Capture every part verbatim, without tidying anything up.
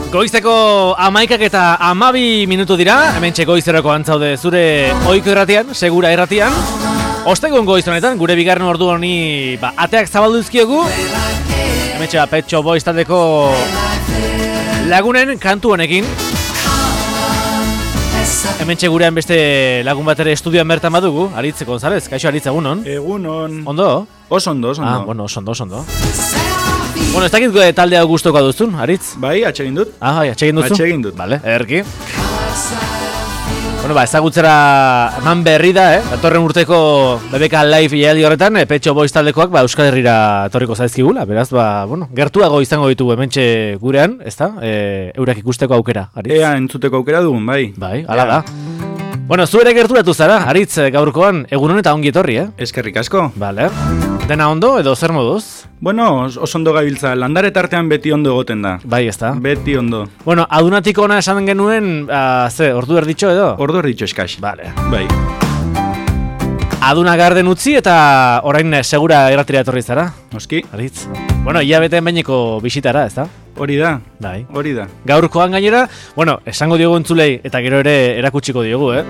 Goizeko amaikak eta amabi minutu dira, hemen txeko goizerako antzaude zure oiko erratian, segura erratian. Ostegun goiz honetan, gure bigarren ordu honi ba, ateak zabaldu izkiogu. Hemen txea Pet Shop Boys taldeko lagunen kantu honekin. Hemen gurean beste lagun bat ere estudioan bertan badugu, Aritz González, kaixo Aritz, egunon? Egunon. Ondo? Oso ondo, oso ondo. Ah, bueno, oso ondo, oso ondo. Bueno, ez dakit taldea gustuko duzun, Aritz? Bai, atsegin dut. Ah, bai, atsegin duzu? Atsegin dut. Vale, ederki. Bueno, ba, ezagutzera eman berri da, eh? Datorren urteko B B K Live jaialdi horretan, eh, Pet Shop Boys taldekoak ba, Euskal Herrira etorriko zaizkigula, beraz, ba, bueno, gertuago izango ditugu hementxe gurean, ezta? E, eurak ikusteko aukera, Aritz? Ea, entzuteko aukera dugun, bai. Bai, hala da. Bueno, zu ere gerturatu zara, Aritz, gaurkoan, egun honetan ongi etorri, eh? Eskerrik asko. Vale. Dena ondo edo zer moduz? Bueno, oso ondo gabiltza, landare tartean beti ondo egoten da. Bai, ezta? Beti ondo. Bueno, adunatik ona esan genuen, uh, ze, ordu erditxo edo? Ordu erditxo eskax. Vale. Bai. Aduna garden utzi eta orain segura erratira etorri zara? Noski. Aritz. Bueno, ia bete enbaineko bisitara, ezta? Hori da. Bai. Hori da. Gaurkoan gainera, bueno, esango diogu entzulei eta gero ere erakutsiko diogu, eh?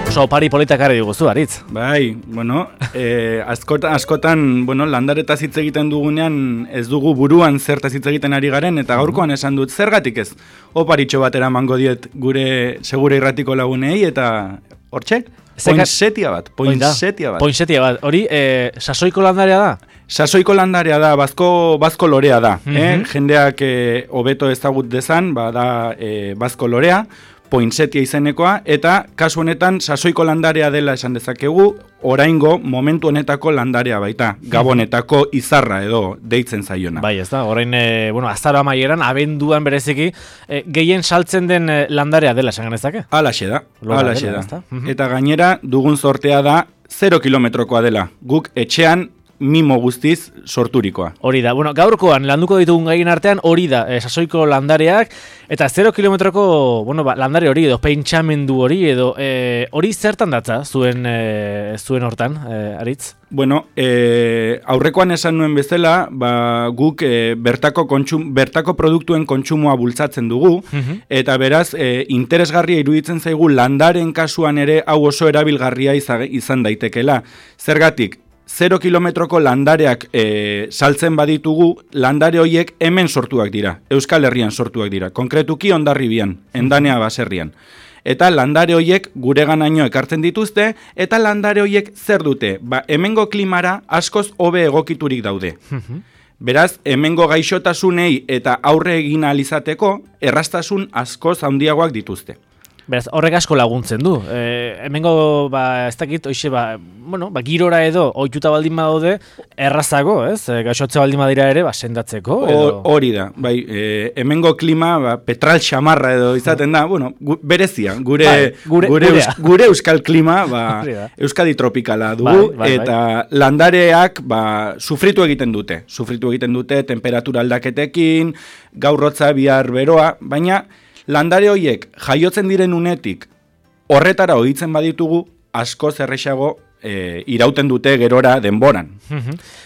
Oso opari politak arri diguzu, Aritz. Bai, bueno, eh, askotan, askotan, bueno, landaretaz hitz egiten dugunean ez dugu buruan zertaz hitz egiten ari garen, eta gaurkoan esan dut, zergatik ez? Oparitxo batera emango diet gure segure irratiko lagunei, eta hortxe? Poinsetia bat, poinsetia bat. Poinsetia bat, hori eh, sasoiko landarea da? Sasoiko landarea da, bazko, bazko lorea da. Mm-hmm. eh? Jendeak eh, hobeto ezagut dezan, bada eh, bazko lorea, poinsetia izenekoa, eta kasu honetan sasoiko landarea dela esan dezakegu, oraingo momentu honetako landarea baita, gabonetako izarra edo deitzen zaiona. Bai, ez da, orain, e, bueno, azaro amaieran, abenduan bereziki, e, gehien saltzen den e, landarea dela esan ganezake? Alaxe da, alaxe da. Mhm. Eta gainera, dugun sortea da, zero kilometrokoa dela, guk etxean, mimo guztiz sorturikoa. Hori da, bueno, gaurkoan landuko ditugun gaien artean hori da, e, sasoiko landareak, eta zero kilometroko, bueno, ba, landare hori edo pentsamendu hori edo e, hori zertan datza zuen e, zuen hortan, e, Aritz? Bueno, e, aurrekoan esan nuen bezala, ba, guk e, bertako, kontsum, bertako produktuen kontsumoa bultzatzen dugu, uh-huh. eta beraz, e, interesgarria iruditzen zaigu landaren kasuan ere hau oso erabilgarria izan daitekela. Zergatik, zero kilometroko landareak e, saltzen baditugu, landare horiek hemen sortuak dira, Euskal Herrian sortuak dira, konkretuki Hondarribian, Endanea baserrian. Eta landare horiek gureganaino ekartzen dituzte, eta landare horiek zer dute? Ba, hemengo klimara askoz hobe egokiturik daude. Beraz, hemengo gaixotasunei eta aurre egin ahal izateko, erraztasun askoz handiagoak dituzte. Beraz, horrek asko laguntzen du. E, hemengo, ba, ez dakit, oixe, ba, bueno, ba, girora edo, ohituta baldin badaude, errazago, ez? E, gaixotze baldin badira ere, ba, sendatzeko, edo... Hori da, bai, e, hemengo klima, ba, petral xamarra edo izaten da, bueno, gu, berezia, gure, bai, gure, gure, eus, gure euskal klima, ba, Euskadi tropikala dugu, bai, bai, eta bai. Landareak, ba, sufritu egiten dute, sufritu egiten dute, temperatura aldaketekin, gaurrotza, bihar beroa, baina... Landare horiek jaiotzen diren unetik horretara ohitzen baditugu asko zerrexago e, irauten dute gerora denboran.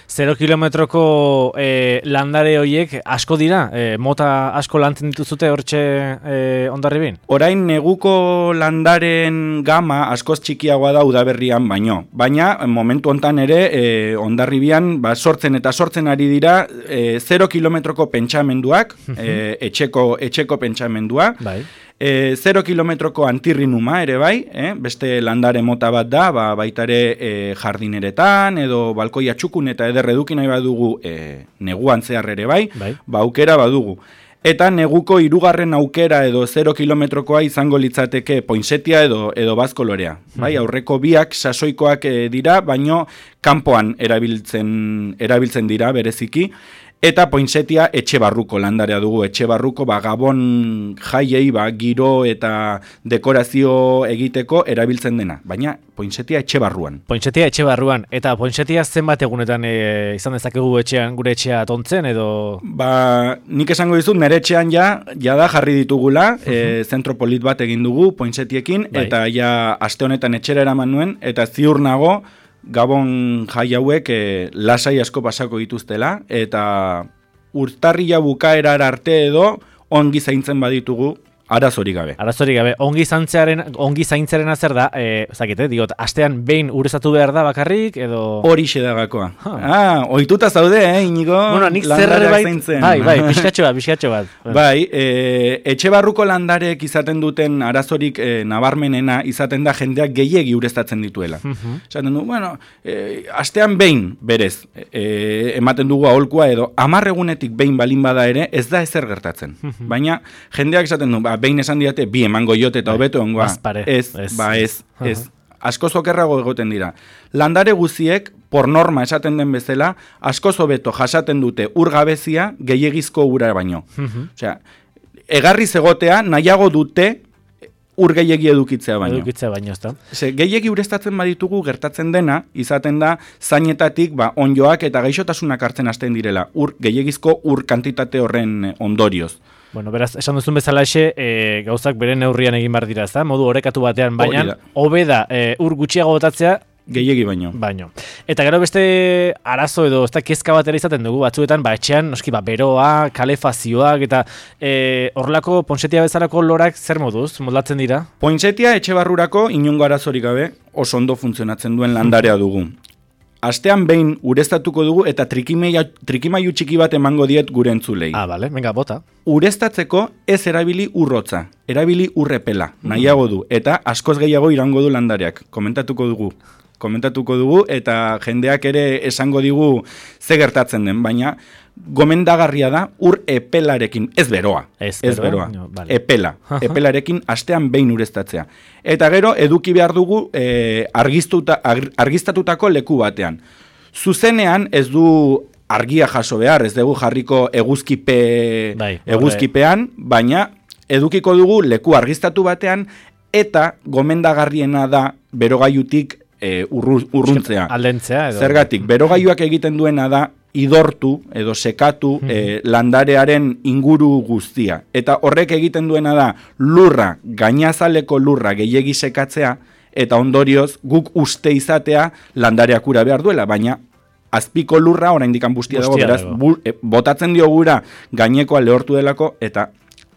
Zero kilometroko e, landare horiek asko dira? E, mota asko lantzen dituzute hortxe e, Hondarribin? Orain neguko landaren gama askoz txikiagoa da udaberrian baino. Baina momentu hontan ere e, Hondarribian ba, sortzen eta sortzen ari dira e, zero kilometroko pentsamenduak, e, etxeko, etxeko pentsamendua. Bai. E, zero kilometroko antirrinuma ere bai, eh? Beste landare mota bat da, ba, baita ere e, jardineretan edo balkoia txukun eta eder eduki nahi badugu e, neguan zehar ere bai, bai. Ba, aukera badugu. Eta neguko hirugarren aukera edo zero kilometrokoa izango litzateke poinsetia edo edo bazko lorea. Bai, aurreko biak sasoikoak e, dira, baino kanpoan erabiltzen erabiltzen dira bereziki. Eta poinsetia etxe barruko landarea dugu, etxe barruko ba, gabon jaiei ba, giro eta dekorazio egiteko erabiltzen dena, baina poinsetia etxe barruan. Poinsetia etxe barruan, eta poinsetia zenbat egunetan e, izan dezakegu etxean, gure etxea tontzen edo? Ba, nik esango dizut, nire etxean ja, ja da jarri ditugula, uh-huh. e, zentro polit bat egin dugu poinsetiekin, bai. Eta ja aste honetan etxera eraman nuen, eta ziur nago, Gabon jai hauek e, lasai asko pasako dituztela, eta urtarrila bukaerar arte edo ongi zaintzen baditugu, arazorik gabe. Arazorik gabe. Ongi zaintzearen, ongi zaintzaren zer da, eh, zakite, digot, astean behin urezatu behar da bakarrik, edo... Horixe da gakoa. Huh. Ah, ohituta zaude, eh, Inigo? Bueno, nik zerbait, bai, bai, pixkatxo bat, pixkatxo bat. Bai, e, etxe barruko landarek izaten duten arazorik e, nabarmenena izaten da jendeak gehiegi ureztatzen dituela. Uh-huh. Esaten du, bueno, e, astean behin, berez, e, ematen dugu aholkua edo, hamar egunetik behin balin bada ere, ez da ezer gertatzen. Uh-huh. Baina, jendeak esaten du, ba, behin esan diate, bi emango jote eta hobeto ongoa. Ez, ez, ba ez, ez. Asko zokerrago egoten dira. Landare guziek, por norma esaten den bezala, asko zobeto jasaten dute urgabezia gehiegizko ura baino. Uh-huh. Osea, egarriz egotea nahiago dute ur gehiegi edukitzea baino. Edukitzea baino, ezta? Ze, gehiegi ureztatzen baditugu gertatzen dena, izaten da zainetatik ba, onjoak eta gaixotasunak hartzen hasten direla. Ur, gehiegizko ur kantitate horren ondorioz. Bueno, beraz, esan duzun bezala exe, e, gauzak bere neurrian egin behar dira, ezta? Modu orekatu batean, baina hobe da e, ur gutxiago botatzea gehiegi baino. Baino. Eta gero beste arazo edo ez da kezka batera izaten dugu batzuetan, ba etxean noski ba beroa, kalefazioak eta e, horrelako pontsetia bezalako lorak zer moduz moldatzen dira? Pontsetia etxe barrurako inongo arazorik gabe oso ondo funtzionatzen duen landarea dugu. Astean behin ureztatuko dugu eta trikimailu txiki bat emango diet gure entzulei. Ah, bale, venga, bota. Ureztatzeko ez erabili urrotza, erabili urrepela, nahiago du, eta askoz gehiago irango du landareak. Komentatuko dugu. Komentatuko dugu eta jendeak ere esango digu ze gertatzen den, baina gomendagarria da ur epelarekin, ez beroa, ez, ez beroa, no, vale. Epela, epelarekin astean behin ureztatzea. Eta gero eduki behar dugu e, argiztuta, argiztatutako leku batean. Zuzenean ez du argia jaso behar, ez dugu jarriko eguzkipe, bai, eguzkipean, baina edukiko dugu leku argiztatu batean eta gomendagarriena da berogailutik e, urru, urruntzea. Aldentzea edo. Zergatik, berogailuak egiten duena da idortu edo sekatu mm-hmm. eh, landarearen inguru guztia. Eta horrek egiten duena da lurra, gainazaleko lurra gehiegi sekatzea, eta ondorioz guk uste izatea landareak ura behar duela, baina azpiko lurra oraindik bustia dago, beraz bu, e, botatzen dio gura gainekoa lehortu delako, eta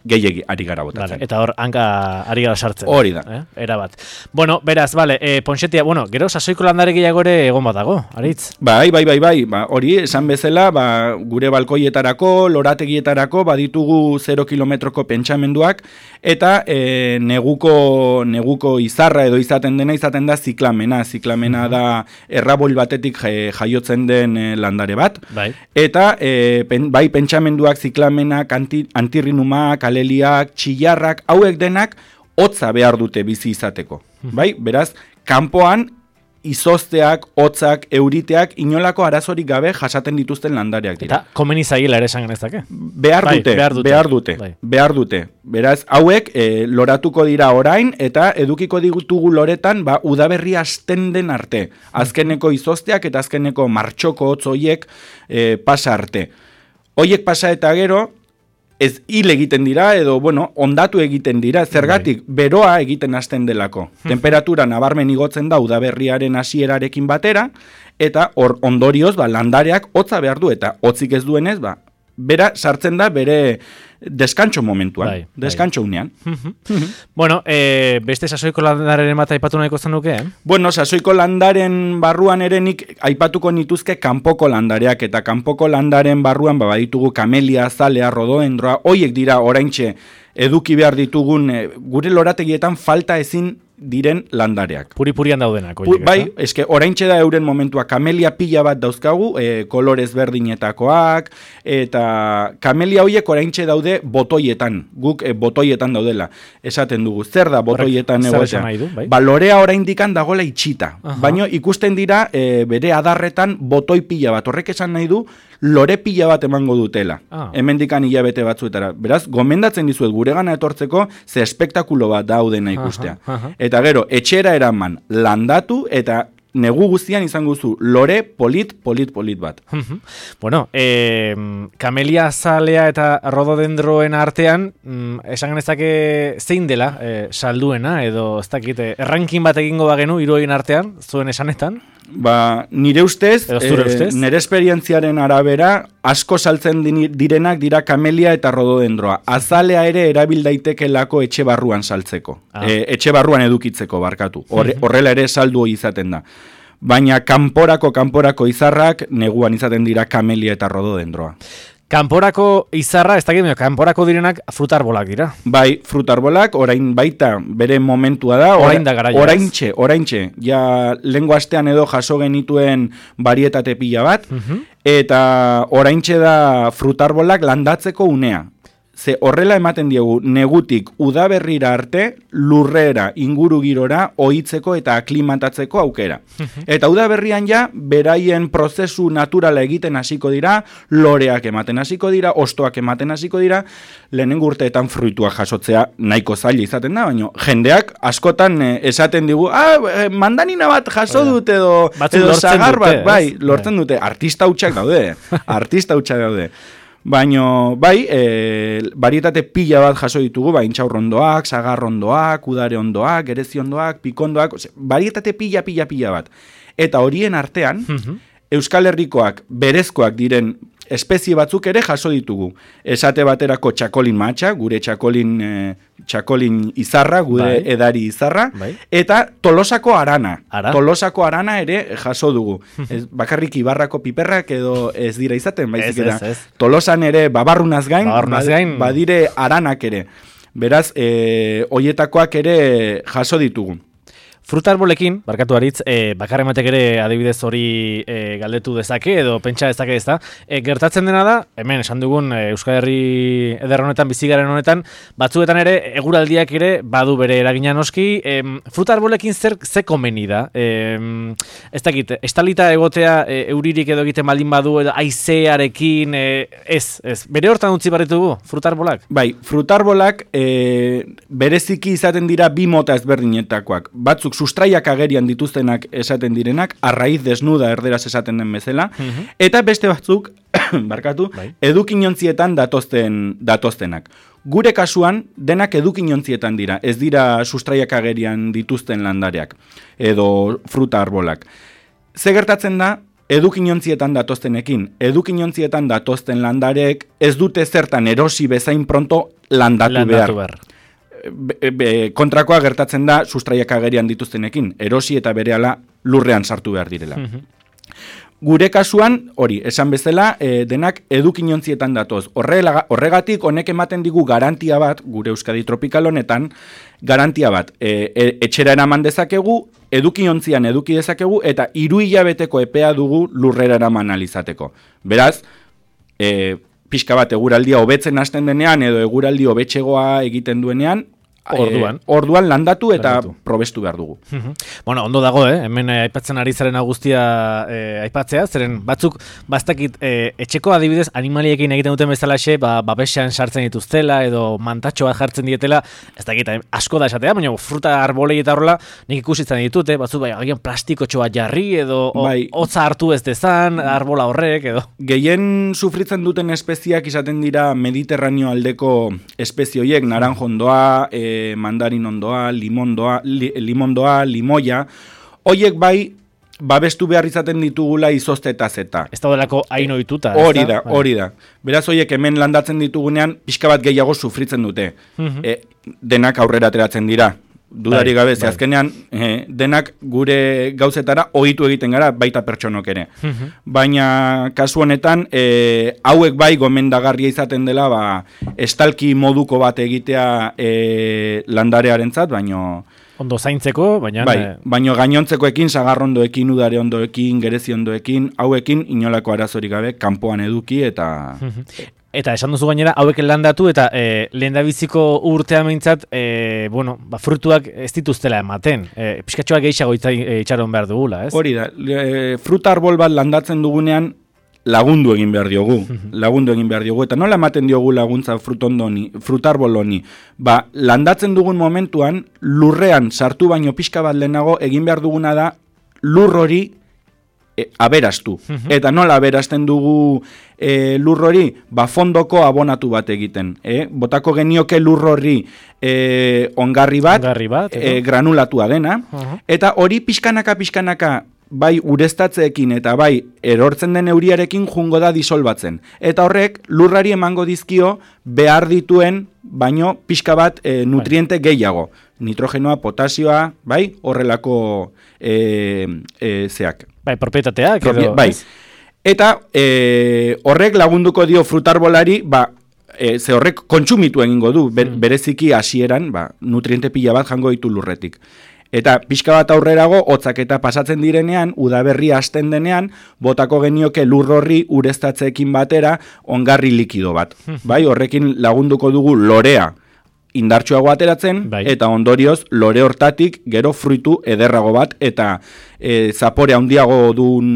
gehiegi ari gara botatzen. Vale, eta hor, hanka ari gara sartzen. Hori da. Eh? Era bat. Bueno, beraz, vale, eh, Pontxetia, bueno, gero sasoiko landare gehiago ere egon bat dago, Aritz? Bai, bai, bai, bai, ba, hori, esan bezala, ba, gure balkoietarako, lorategietarako, baditugu zero kilometroko pentsamenduak, eta e, neguko, neguko izarra edo izaten dena, izaten da ziklamena. Ziklamena da errabol batetik jaiotzen den e, landare bat. Bai. Eta, e, pen, bai, pentsamenduak, ziklamenak, anti, antirrinumak, aleliak, txillarrak, hauek denak hotza behar dute bizi izateko. Bai? Beraz, kanpoan izozteak, hotzak, euriteak inolako arazorik gabe jasaten dituzten landareak dira. Eta komeni zaiela ere esan genezake? Behar dute, bai, behar dute, behar dute, bai. behar dute. Beraz, hauek e, loratuko dira orain eta edukiko ditugu loretan ba, udaberri hasten den arte. Azkeneko izozteak eta azkeneko martxoko hotz hoiek e, pasa arte. Hoiek pasa eta gero, ez hil egiten dira, edo, bueno, ondatu egiten dira, zergatik, beroa egiten hasten delako. Temperatura nabarmen igotzen da udaberriaren hasierarekin batera, eta hor ondorioz, ba, landareak hotza behar du, eta hotzik ez duenez, ba, bera sartzen da bere deskantxo momentuan, bai, deskantxo bai. unean. Bueno, e, beste sasoiko landaren bat aipatu nahiko zenuke, eh? Bueno, sasoiko landaren barruan ere nik aipatuko nituzke kanpoko landareak, eta kanpoko landaren barruan ba, baditugu kamelia, azalea, rododendroa, hoiek dira oraintxe eduki behar ditugun, e, gure lorategietan falta ezin diren landareak. Puri-purian daudenak. Pu, bai, eske oraintxe da euren momentua, kamelia pila bat dauzkagu, e, kolorez berdinetakoak, eta kamelia hoiek oraintxe daude botoietan, guk e, botoietan daudela, esaten dugu, zer da botoietan egotea? Bai? Ba, lorea oraindikan dagoela itxita, uh-huh. baina ikusten dira e, bere adarretan botoi pila bat, horrek esan nahi du, lore pila bat emango dutela, ah. hemendikan hilabete batzuetara. Beraz, gomendatzen dizuet guregana etortzeko, ze espektakulo bat daudena ikustea. Uh-huh, uh-huh. Eta gero, etxera eraman landatu eta negu guztian izango zu lore polit, polit, polit bat. Bueno, eh, kamelia azalea eta rododendroen artean, mm, esan genezake zein dela eh, salduena, edo ez dakit, errankin bat egingo bagenu hiruoien artean, zuen esanetan? Ba, nire ustez, ustez? Eh, nire esperientziaren arabera, asko saltzen direnak dira kamelia eta rododendroa. Azalea ere erabil daitekelako etxe barruan saltzeko. Ah. E, etxe barruan edukitzeko barkatu. Horre, horrela ere saldu izaten da. Baina kanporako kanporako izarrak neguan izaten dira kamelia eta rododendroa. Kanporako izarra, ez dakit, kanporako direnak frutarbolak dira. Bai, frutarbolak, orain baita bere momentua da. Orain da garaia. Oraintxe, oraintxe. Ja, lehengo astean edo jaso genituen barietate pila bat, uh-huh. eta oraintxe da frutarbolak landatzeko unea. Ze horrela ematen diegu negutik udaberrira arte lurrera, inguru girora ohitzeko eta aklimatatzeko aukera. Eta udaberrian ja beraien prozesu naturala egiten hasiko dira, loreak ematen hasiko dira, hostoak ematen hasiko dira, lehenengo urteetan fruituak jasotzea nahiko zaila izaten da, baina jendeak askotan eh, esaten digu, ah, eh, mandarina bat jaso dut edo, edo sagar bat, bai, lortzen dute, artista hutsak daude, artista hutsak daude. Baina, bai, e, barietate pila bat jaso ditugu, bai, intxaurrondoak, sagarrondoak, udare ondoak, gerezi ondoak, pikondoak, ose, barietate pila, pila, pila bat. Eta horien artean, uh-huh. Euskal Herrikoak berezkoak diren espezie batzuk ere jaso ditugu. Esate baterako txakolin matxa, gure txakolin, e, txakolin izarra, gure bai. Edari izarra, bai. Eta tolosako arana. Ara? Tolosako arana ere jaso dugu. Ez, bakarrik ibarrako piperrak edo ez dira izaten, baizik eta. Ez, ez, ez. Tolosan ere babarrunaz gain, babarrunaz gain. Badire aranak ere. Beraz, e, hoietakoak ere jaso ditugu. Frutarbolekin, barkatu haritz, e, bakarrematek ere adibidez hori e, galdetu dezake edo pentsa dezake ez da. E, gertatzen dena da, hemen esan dugun e, Euskal Herri eder honetan, bizigaren honetan, batzuetan ere eguraldiak ere badu bere eragina noski. E, frutarbolekin zer ze komeni da? E, ez dakit, estalita egotea e, euririk edo egiten baldin badu edo haizearekin, e, ez, ez. Bere hortan utzi barritugu, frutarbolak? Bai, frutarbolak e, bereziki izaten dira bi mota ezberdinetakoak. Batzuk sustraiak agerian dituztenak esaten direnak, arraiz desnuda erderaz esaten den bezala, uh-huh. Eta beste batzuk, barkatu, bai. Edukinontzietan datozten, datoztenak. Gure kasuan, denak edukinontzietan dira, ez dira sustraiak agerian dituzten landareak, edo fruta arbolak. Ze gertatzen da, edukinontzietan datoztenekin, edukinontzietan datozten landareek ez dute zertan erosi bezain pronto landatu, landatu behar. behar. Be, be, kontrakoa gertatzen da sustraiak agerian dituztenekin, erosi eta berehala lurrean sartu behar direla. Uh-huh. Gure kasuan, hori, esan bezala, e, denak edukinontzietan datoz. Horrela, horregatik honek ematen digu garantia bat, gure Euskadi tropikal honetan, garantia bat, e, e, etxera eraman dezakegu, edukinontzian eduki dezakegu, eta hiru hilabeteko epea dugu lurrera eraman alizateko. Beraz, e, pixka bat eguraldia hobetzen hasten denean edo eguraldi hobetxegoa egiten duenean, orduan, e, orduan landatu eta landatu. Probestu behar dugu. Uh-huh. Bueno, ondo dago, eh? Hemen eh, aipatzen ari zaren guztia eh, aipatzea, zeren batzuk bastakit eh, etxeko adibidez animaliekin egiten duten bezalaxe, ba, babesean sartzen dituztela edo mantatxo bat jartzen dietela, ez dakit, asko da esatea, baina fruta arbolei eta horrela nik ikusitzen ditut, eh? Batzuk bai, agian plastikotxo bat jarri edo bai. Hotza hartu ez dezan, arbola horrek edo. Gehien sufritzen duten espeziak izaten dira Mediterraneo aldeko espezioiek, naranjondoa, eh, mandarin ondoa, limondoa, li, limondoa, limoia, hoiek bai babestu behar izaten ditugula izozte eta zeta. Ez da delako hain ohituta. Hori da, hori da. Beraz hoiek hemen landatzen ditugunean pixka bat gehiago sufritzen dute. Uh-huh. E, denak aurrera ateratzen dira. Dudari gabe, ze azkenean eh, denak gure gauzetara ohitu egiten gara, baita pertsonok ere. Uh-huh. Baina kasu honetan, eh, hauek bai gomendagarria izaten dela, ba, estalki moduko bat egitea eh, landarearentzat, baino ondo zaintzeko, baina bai, baino gainontzekoekin, sagarrondoekin, udare ondoekin, gerezi ondoekin, hauekin inolako arazorik gabe kanpoan eduki eta uh-huh. Eta esan duzu gainera, hauek landatu eta e, lehendabiziko urtea meintzat, e, bueno, ba, frutuak ez dituztela ematen. E, Piskatxoak gehiago itxaron behar dugula, ez? Hori da, e, fruta arbol bat landatzen dugunean lagundu egin behar diogu. lagundu egin behar diogu. Eta nola ematen diogu laguntza frutondoni, frutarbol honi? Ba, landatzen dugun momentuan, lurrean sartu baino pixka bat lehenago, egin behar duguna da lur hori E, aberastu. Uh-huh. Eta nola aberasten dugu e, lur hori, ba fondoko abonatu bat egiten. E? Botako genioke lur hori e, ongarri bat, ongarri bat e, granulatua dena, uh-huh. Eta hori pixkanaka pixkanaka bai ureztatzeekin eta bai erortzen den euriarekin jungo da disolbatzen. Eta horrek lurrari emango dizkio behar dituen baino pixka bat e, nutriente bai. Gehiago. Nitrogenoa, potasioa, bai, horrelako e, e, zeak. Bai, propietateak edo. Bai. Eta e, horrek lagunduko dio frutarbolari, ba, e, ze horrek kontsumitu egingo du, ber, bereziki hasieran, ba, nutriente pila bat jango ditu lurretik. Eta pixka bat aurrerago, hotzak eta pasatzen direnean, udaberria hasten denean, botako genioke lur horri ureztatzeekin batera ongarri likido bat. Bai, horrekin lagunduko dugu lorea indartsuago ateratzen, bai. Eta ondorioz lore hortatik gero fruitu ederrago bat eta e, zapore handiago duen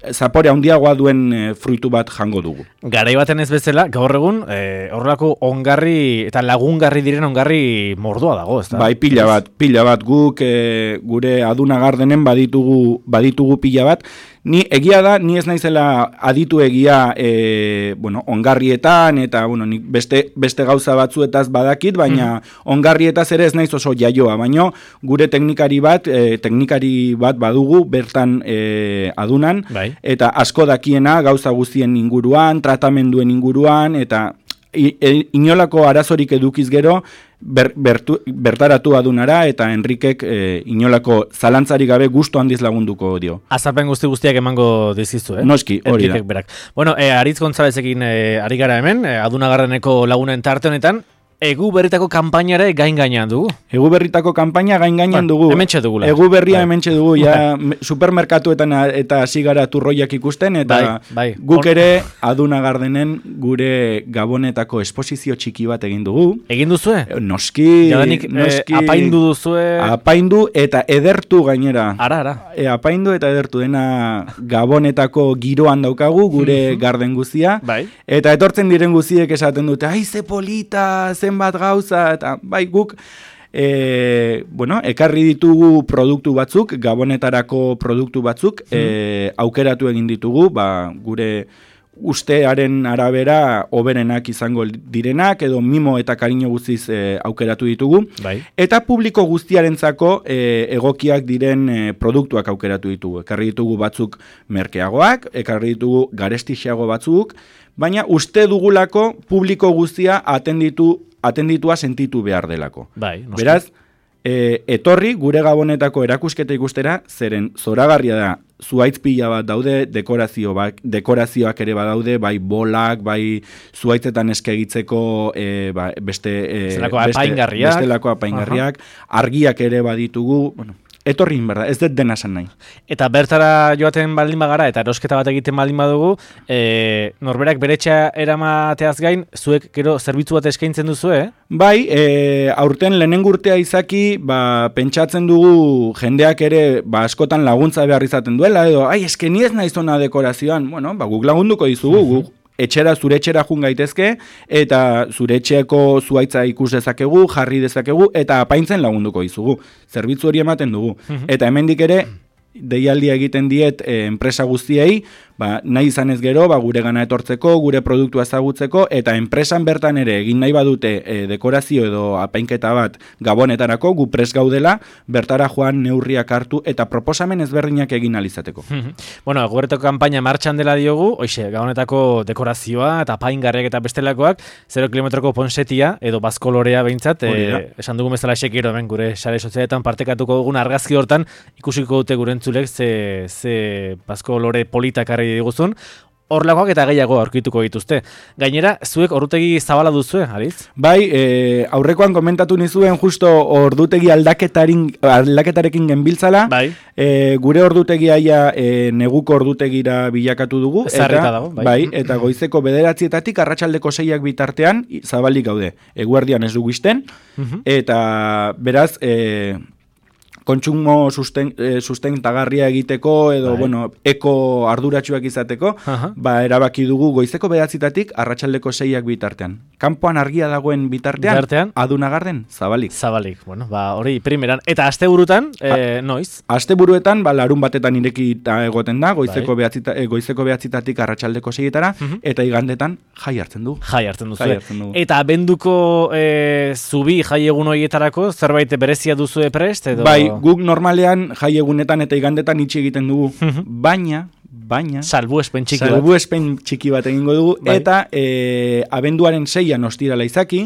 zapore handiagoa duen e, fruitu bat jango dugu. Garai baten ez bezala, gaur egun e, horrelako ongarri eta lagungarri diren ongarri mordoa dago, ezta? Bai, pila bat, pila bat guk e, gure Aduna Gardenen baditugu baditugu pila bat. Ni egia da, ni ez naizela aditu egia e, bueno, ongarrietan eta bueno, ni beste, beste gauza batzuetaz badakit, baina mm. ongarrietaz ere ez naiz oso jaioa, baina gure teknikari bat, e, teknikari bat badugu bertan e, Adunan, bai. Eta asko dakiena gauza guztien inguruan, tratamenduen inguruan, eta inolako arazorik edukiz gero, ber, bertu, bertaratu Adunara eta Enrikek e, inolako zalantzarik gabe gustu handiz lagunduko dio. Azapen guzti guztiak emango dizizu, eh? Noski, hori da. Berak. Bueno, e, Aritz Gonzalezekin e, ari gara hemen, e, Aduna Gardeneko lagunen tarte honetan, Egu berritako kanpainare gain gainean dugu. Egu berritako kanpaina gain gainean dugu. Hementxe dugula. Egu berria bai. Hementxe dugu, ja supermerkatuetan eta hasi gara turroiak ikusten, eta bai, bai. Guk ere Aduna Gardenen gure Gabonetako esposizio txiki bat egin dugu. Egin duzue? Noski, Jadanik, noski. E, apaindu duzue? Apaindu eta edertu gainera. Ara, ara. E, apaindu eta edertu dena Gabonetako giroan daukagu, gure garden guzia. Bai. Eta etortzen diren guziek esaten dute, ai, ze polita, ze bat gauza, eta bai guk e, bueno, ekarri ditugu produktu batzuk, Gabonetarako produktu batzuk, mm. e, aukeratu egin ditugu, ba, gure ustearen arabera oberenak izango direnak, edo mimo eta kariño guztiz e, aukeratu ditugu, bai. Eta publiko guztiarentzako e, egokiak diren e, produktuak aukeratu ditugu. Ekarri ditugu batzuk merkeagoak, ekarri ditugu garestixeago batzuk, baina uste dugulako publiko guztia atenditu atenditua sentitu behar delako. Bai, beraz, e, etorri gure Gabonetako erakusketa ikustera, zeren zoragarria da, zuaitz pila bat daude, dekorazio bak, dekorazioak ere badaude, bai bolak, bai zuaitzetan eskegitzeko e, ba, beste, e, bestelako apaingarriak, bestelako apaingarriak, argiak ere baditugu, bueno, etorri, berda, ez dut dena esan nahi. Eta bertara joaten baldin bagara, eta erosketa bat egiten baldin badugu, e, norberak beretxa eramateaz gain, zuek gero zerbitzu bat eskaintzen duzu, eh? Bai, e, aurten lehenengo urtea izaki, ba, pentsatzen dugu jendeak ere ba, askotan laguntza behar izaten duela, edo, ai, eske ni ez naiz ona dekorazioan, bueno, ba, guk lagunduko dizugu, guk etxera, zure etxera jun gaitezke, eta zure etxeako zuaitza ikus dezakegu, jarri dezakegu, eta apaintzen lagunduko dizugu. Zerbitzu hori ematen dugu. Eta hemendik ere, deialdia egiten diet e, enpresa guztiei, ba, nahi izanez gero, ba, gure gana etortzeko, gure produktua ezagutzeko, eta enpresan bertan ere egin nahi badute e, dekorazio edo apainketa bat Gabonetarako, gu pres gaudela, bertara joan neurriak hartu, eta proposamen ezberdinak egin alizateko. Bueno, guretako kanpaina martxan dela diogu, oixe, Gabonetako dekorazioa, eta apaingarriak eta bestelakoak, zero kilometroko ponsetia, edo bazkolorea behintzat, e, esan dugu bezala sekiro, hemen gure sare sozialetan partekatuko dugun argazki hortan, ikusiko dute gure entzulek, ze, ze bazkolore politak diguzun, horlakoak eta gehiago aurkituko dituzte. Gainera, zuek ordutegi zabala duzue, Aritz? Bai, e, aurrekoan komentatu nizuen justo ordutegi aldaketarekin genbiltzala, bai. E, gure ordutegia ja e, neguko ordutegira bilakatu dugu, eta, dago, bai. Bai, eta goizeko bederatzietatik arratsaldeko seiak bitartean zabalik gaude. Eguerdian ez dugu izten, uh-huh. Eta beraz, e, kontsumo susten, e, sustentagarria egiteko edo bai. Bueno, eko arduratsuak izateko, uh-huh. Ba erabaki dugu goizeko bederatzitatik arratsaldeko seiak bitartean. Kanpoan argia dagoen bitartean, bitartean? Aduna Garden zabalik. Zabalik. Bueno, ba hori primeran eta asteburutan, eh noiz? Asteburuetan ba larun batetan irekita egoten da, goizeko bai. behatzita, e, goizeko bederatzitatik arratsaldeko seietara, uh-huh. Eta igandetan jai hartzen du. Jai hartzen duzu. Eta abenduko e, zubi jai egun horietarako zerbait berezia duzu prest edo? Bai, guk normalean jai egunetan eta igandetan itxi egiten dugu, baina, baina... Salbuespen txiki bat. Salbuespen txiki bat egingo dugu, bai. Eta e, abenduaren seian ostirala izaki,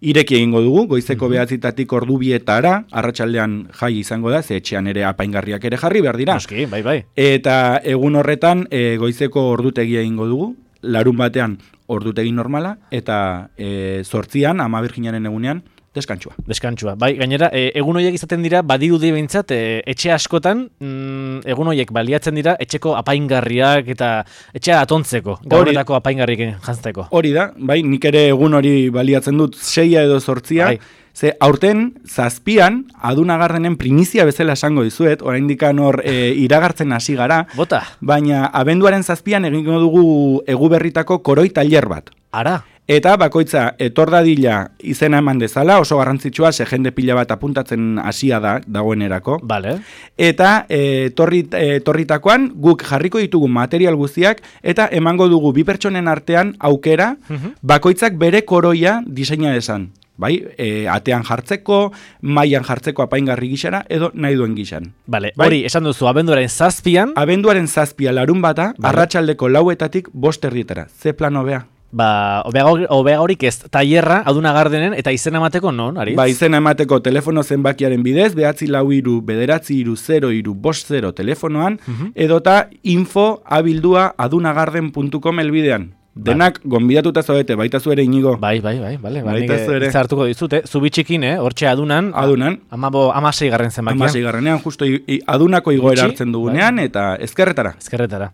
ireki egingo dugu, goizeko mm-hmm. behatzitatik ordu bietara, arratsaldean jai izango da, ze etxean ere apaingarriak ere jarri behar dira. Noski, bai, bai. Eta egun horretan e, goizeko ordutegia egingo dugu, larun batean ordutegi normala, eta e, zortzian, Ama Birjinaren egunean, deskantsua. Deskantsua. Bai, gainera, e, egun horiek izaten dira, badirudi behintzat, e, etxe askotan, mm, egun horiek baliatzen dira, etxeko apaingarriak eta etxea atontzeko, gauretako apaingarriak jantzeko. Hori da, bai, nik ere egun hori baliatzen dut, seia edo zortzia, bai. Ze aurten, zazpian, Adunagardenen primizia bezala esango dizuet, oraindik hor e, iragartzen hasi gara, Bota. Baina abenduaren zazpian egingo dugu Eguberritako koroi tailer bat. Ara. Eta bakoitza etor dadila izena eman dezala, oso garrantzitsua, ze jende pila bat apuntatzen hasia da, dagoenerako. Vale. Eta e, torrit, e, torritakoan guk jarriko ditugu material guztiak, eta emango dugu bi pertsonen artean aukera, uh-huh. bakoitzak bere koroia diseina esan. Bai, e, atean jartzeko, mailan jartzeko apaingarri gixara, edo nahi duen gixan. Vale, bai? Hori, esan duzu, abenduaren zazpian? Abenduaren zazpia larun bata, vale. Arratsaldeko lauetatik bost erdietara. Ze plan hobea? Ba, hobea horik ez, tailerra Adunagardenen eta izena emateko non, Aritz? Ba, izena emateko telefono zenbakiaren bidez, behatzi lau iru, bederatzi iru, zero iru, bost zero telefonoan, uh-huh. edota info abildua adunagarden puntu com elbidean. Denak gonbidatuta zaudete, baita zu ere Inigo. Bai, bai, bai, bale. Baita zu ere. Zartuko dizute, zubi txikin, eh? Hortxe adunan. Adunan. Amabo, amasei garren zenbakian. Amasei garrenean, justo i, i, adunako igoera hartzen dugunean, bai. Eta ezkerretara. Ezkerretara.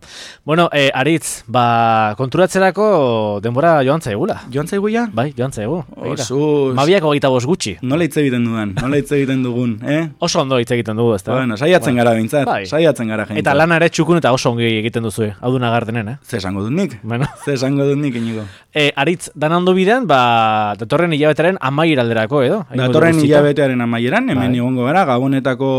Bueno, eh, Aritz, ba, konturatzelako denbora joan zaigula. Joan zaiguia? Bai, joan zaigu. Osuz. Mabiak hogeita bost gutxi. Nola hitz egiten dudan, nola hitz egiten dugun, eh? Oso ondo hitz egiten dugu, ezta? Bueno, saiatzen bueno. gara bintzat, bai. saiatzen gara jentzat. Eta lana ere txukun eta oso ongi egiten duzu, Adunagardenen, eh? Ze esango dut nik? Bueno. Ze esango dut nik, Inigo? E, Aritz, dan ondo bidean, ba, datorren hilabetaren amaiera alderako, edo? Datorren hilabetearen amaieran, hemen egongo gara, Gabonetako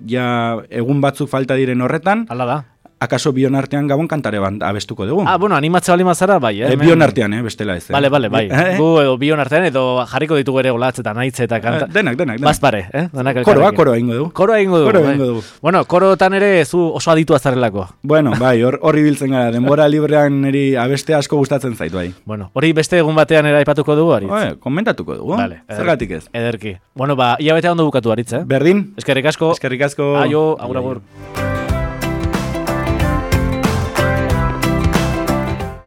ja egun batzuk falta diren horretan. Hala da. Akaso bion artean Gabon kantare bat abestuko dugu. Ah, bueno, animatze bali mazara, bai, eh? E, bion artean, eh, bestela ez. Eh? Bale, bale, bai. Eh? Gu edo bion artean, edo jarriko ditugu ere olatz eta naitze eta kanta. Eh, denak, denak, denak. Bazpare, eh? Denak koroa, koroa ingo dugu. Koroa ingo dugu, koroa bai. ingo dugu. Bueno, korotan ere zu oso aditu azarrelako. Bueno, bai, hori biltzen gara, denbora librean eri abeste asko gustatzen zait, bai. Bueno, hori beste egun batean ere aipatuko dugu, Aritz? Oe, komentatuko dugu, vale, zergatik ez. Ederki. Bueno, ba, hilabetea ondo bukatu, Aritz, eh? Berdin. Eskerrik asko. Eskerrik asko. Aio, agur, agur.